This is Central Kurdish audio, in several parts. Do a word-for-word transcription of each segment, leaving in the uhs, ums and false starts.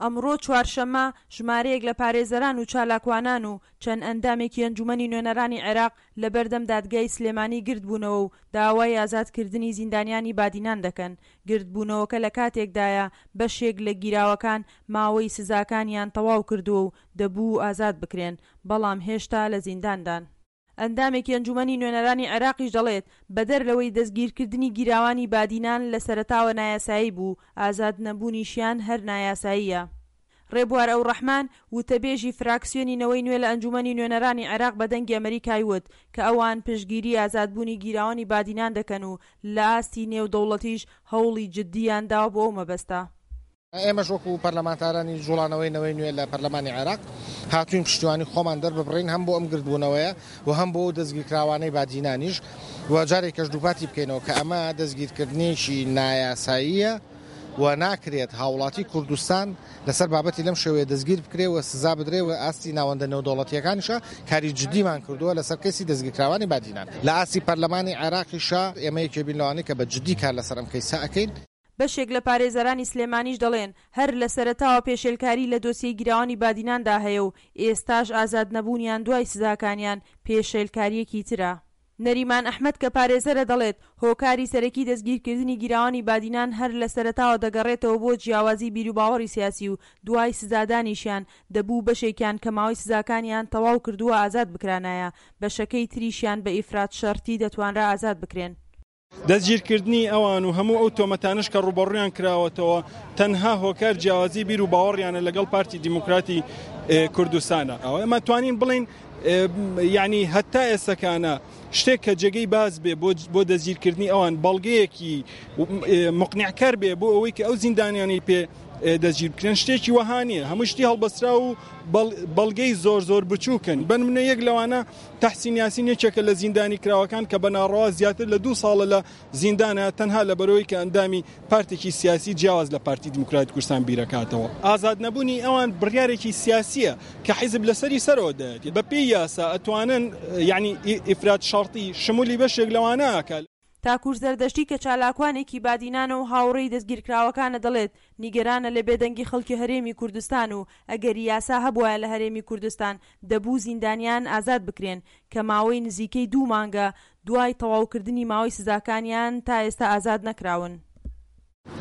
ئەمڕۆ چوارشەممە، ژمارەیەک لە پارێزەران و چالاکوانان و چەند ئەندامێکی ئەنجومەنی نوێنەرانی عێراق لەبەردەم دادگای سلێمانی گردبوونەوە و داوای ئازادکردنی زیندانیانی بادینان دەکەن. گردبوونەوەکە لەکاتێکدایە بەشێک لە گیراوەکان ماوەی سزاکانیان تەواو کردووە و دەبوو ئازاد بکرێن، بەڵام هێشتا لە زینداندان. ئەندامێکی ئەنجومەنی نوێنەرانی عێراقیش دەڵێت، بەدەر لەوەی دەستگیرکردنی گیراوانی بادینان لە سەرەتاوە نایاسایی بوو، ئازادنەبوونیشیان هەر نایاساییە. ڕێبوار ئەوڕەحمان، وتەبێژی فراکسیۆنی نەوەی نوێ لە ئەنجومەنی نوێنەرانی عێراق بە دەنگی ئەمەریکای وت کە ئەوان پشتگیری ئازادبوونی گیراوانی بادینان دەکەن و لە ئاستی نێودەوڵەتیش هەوڵی جددیان داوە بۆ ئەو مەبەستە. ئێمەش وەکو پەرلەمانتارانی جوڵانەوەی نەوەی نوێ لە پەرلەمانی عێراق هاتوین پشتیوانی خۆمان دەرببڕین هەم بۆ ئەم گردبوونەوەیە و هەم بۆ ئەو دەستگیرکراوانەی بادینانیش و جارێکەش دووپاتی بکەینەوە کە ئەمە دەستگیرکردنێکی نایاساییە و ناکرێت هاوڵاتی کوردستان لەسەر بابەتی لەم شێوەیە دەستگیر بکرێ و سزا بدرێ و ئاستی ناوەندە نێودەوڵەتییەکانیشە کاری جدیمان کردووە لەسەر کەیسی دەستگیرکراوانی بادینان لە ئاستی پەرلەمانی عێراقیشە ئێمە یەکێ بین لەوانەی کە بە جدی کار لەسەر ئەم کەیسە ئەکەین. بەشێک لە پارێزەرانی سلێمانیش دەڵێن، هەر لە سەرەتاوە پێشێلکاری لە دۆسیەی گیراوانی بادیناندا هەیە و ئێستاش ئازادنەبوونیان دوای سزاکانیان پێشێلکارییەکی ترە. نەریمان ئەحمەد کە پارێزەرە دەڵێت، هۆکاری سەرەکی دەستگیرکردنی گیراوانی بادینان هەر لە سەرەتاوە دەگەڕێتەوە بۆ جیاوازی بیروباوەڕی سیاسی و دوای سزادانیشیان دەبوو بەشێکیان کە ماوەی سزاکانیان تەواو کردووە ئازاد بکرانایە، بەشەکەی تریشیان بە ئیفراد شەرتی دەتوانرا ئازاد بکرێن. دەستگیرکردنی ئەوان و هەموو ئەو تۆمەتانەش کە ڕووبەڕوویان کراوەتەوە تەنها هۆکار جیاوازی بیر و باوەڕیانە لەگەڵ پارتی دیموکراتی کوردستانە. ئێمە توانین بڵێین یعنی هەتا ئێستەکانە شتێک کە جێگەی باز بێ بۆ دەستگیرکردنی ئەوان بەڵگەیەکی مقنعکەر بێ بۆ ئەوەی کە ئەو زیندانیانەی پێ دەستگیر بکرێن شتێکی وەها نییە. هەموو شتی هەڵبەسترا و بەڵگەی زۆر زۆر بچووکن. بەنمونە یەک لەوانە تەحسین یاسین یەکێکە لە زیندانی کراوەکان کە بە ناڕەوا زیاتر لە دوو ساڵە لە زیندانە تەنها لەبەرەوەی کە ئەندامی پارتێکی سیاسی جیاواز لە پارتی دیموکراتی کوردستان بیرەکاتەوە. ئازاد نەبوونی ئەوان بڕیارێکی سیاسیە کە حیزب لەسەری سەرەوە دایەتی. بە پێی یاسا ئەتوانن یعنی ئیفراد شەرتی شمولی بەشێک لەوانە ئەکا. تاکور زەردەشتی کە چالاکوانێکی بادینانە و هاوڕێی دەستگیرکراوەکانە دەڵێت، نیگەرانە لە بێدەنگی خەڵکی هەرێمی کوردستان و ئەگەر یاسا هەبوایە لە هەرێمی کوردستان دەبوو زیندانیان ئازاد بکرێن کە ماوەی نزیکەی دوو مانگە دوای تەواوکردنی ماوەی سزاکانیان تا ئێستا ئازاد نەکراون.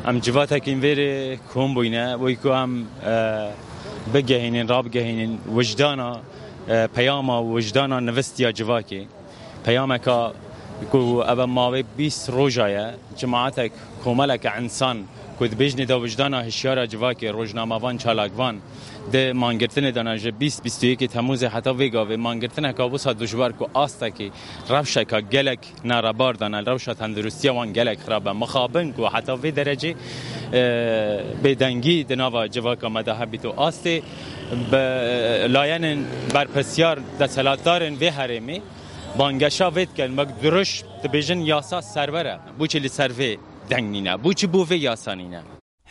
ئەم جڤاتێکین ڤێرێ کۆم بووینە بۆی کو ئەم بگەهێنین ڕابگەهێنین وجدانە پەیاما وجدانە نڤستیا جڤاکێ پەیامەکە کو ئەوە ماوەی بیست ڕۆژایە جماعەتێک کۆمەڵێکە ئینسان کو دبێژنێ دا وجدانە هشیارە جڤاکێ ڕۆژنامەوان چالاکوان د مانگرتنێ دانا ژ بیست بیست و یەکی تەموزێ حتا وێ گاوێ مانگرتنەکە وسا دژوار کو ئاستێکی ڕەوشەکە گەلێک ناڕەبار دانا ڕەوشە تەندروستیە وان گەلێک خراپە مخابن کو حتا وێ دەرەجێ بێدەنگی دناوا جڤاکە مەدا هەبیت و ئاستێ بە لایەنن بەرپرسیار دەسەلاتدارن وێ هەرێمێ بانگەشا وێ دکەن وەک دروش دبێژن یاسا سەروەرە بۆچی لەسەر وێ دەنگ نینە بۆچی بۆ وێ یاسا نینە.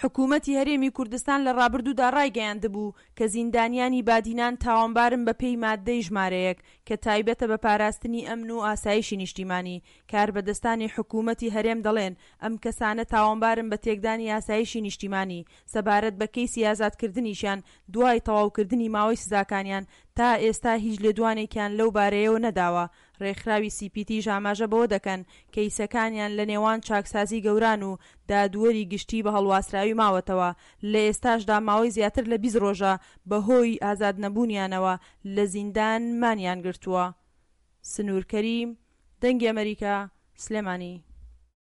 حکومەتی هەرێمی کوردستان لە ڕابردوودا ڕایگەیاندبوو کە زیندانیانی بادینان تاوانبارن بە پێی ماددەی ژمارەیەک کە تایبەتە بە پاراستنی ئەمن و ئاسایشی نیشتیمانی. کاربەدەستانی حکومەتی هەرێم دەڵێن ئەم کەسانە تاوانبارن بە تێکدانی ئاسایشی نیشتیمانی. سەبارەت بە کەیسی ئازادکردنیشیان دوای تەواوکردنی ماوەی سزاکانیان تا ئێستا هیچ لێدوانێکیان لەو بارەیەوە نەداوە. ڕێکخراوی سی پی تیش ئاماژە بەوە دەکەن کەیسەکانیان لە نێوان چاکسازی گەوران و دادوەری گشتی بە هەڵواسراوی ماوەتەوە، لە ئێستاشدا ماوەی زیاتر لە بیست ڕۆژە بەهۆی ئازادنەبوونیانەوە لە زیندان مانیان گرتووە. سنوور کەریم، دەنگی ئەمەریکا، سلێمانی.